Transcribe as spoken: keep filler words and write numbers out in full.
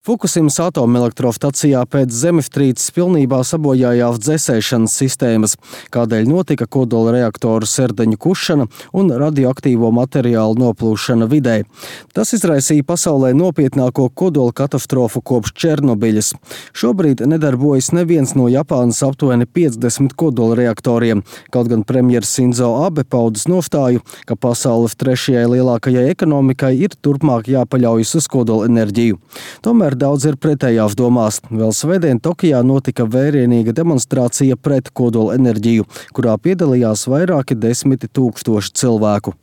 Fukusimas atomelektrostacijā pēc zemestrīces pilnībā sabojājās dzēsēšanas sistēmas, kādēļ notika kodola reaktoru sērdeņu kušana un radioaktīvo materiālu noplūšana vidē. Tas izraisīja pasaulē nopietnāko kodola katastrofu kopš Černobiļas. Šobrīd nedarbojas neviens no Japānas aptuveni piecdesmit kodola reaktoriem, kaut gan premjers Sinzo Abe paudis nostāju, ka pasaules trešajai lielākajai ekonomikai ir turpmāk jāpaļaujas uz kodola enerģiju. Tomēr daudz ir pretējās domās. Vēl svētdien Tokijā notika vērienīga demonstrācija pret kodola enerģiju, kurā piedalījās vairāki desmiti tūkstoši cilvēku.